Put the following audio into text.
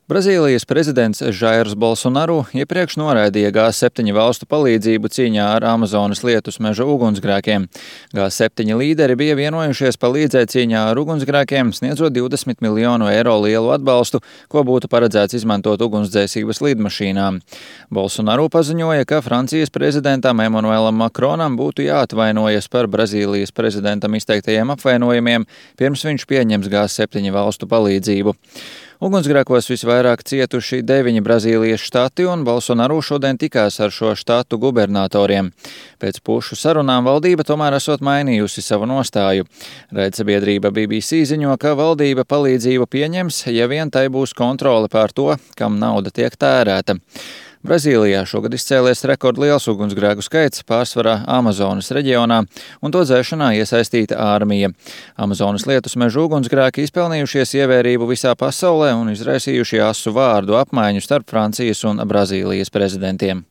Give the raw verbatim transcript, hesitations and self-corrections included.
Brazīlijas prezidents Žairs Bolsonaru iepriekš noraidīja G septiņi valstu palīdzību cīņā ar Amazonas lietus meža ugunsgrēkiem. G septiņi līderi bija vienojušies palīdzēt cīņā ar ugunsgrēkiem, sniedzot divdesmit miljonu eiro lielu atbalstu, ko būtu paredzēts izmantot ugunsdzēsības lidmašīnām. Bolsonaru paziņoja, ka Francijas prezidentam Emanuelam Makronam būtu jāatvainojas par Brazīlijas prezidentam izteiktajiem apvainojumiem, pirms viņš pieņems G septiņi valstu palīdzību. Ugunsgrēkos visvairāk cietuši deviņi Brazīlijas štati, un Bolsonaru šodien tikās ar šo štatu gubernatoriem. Pēc pušu sarunām valdība tomēr esot mainījusi savu nostāju. Raidsabiedrība B B C ziņo, ka valdība palīdzību pieņems, ja vien tai būs kontrole pār to, kam nauda tiek tērēta. Brazīlijā šogad izcēlies rekordliels ugunsgrēku skaits, pārsvarā Amazonas reģionā, un to dzēšanā iesaistīta armija. Amazonas lietus meža ugunsgrēki izpelnījušies ievērību visā pasaulē un izraisījuši asu vārdu apmaiņu starp Francijas un Brazīlijas prezidentiem.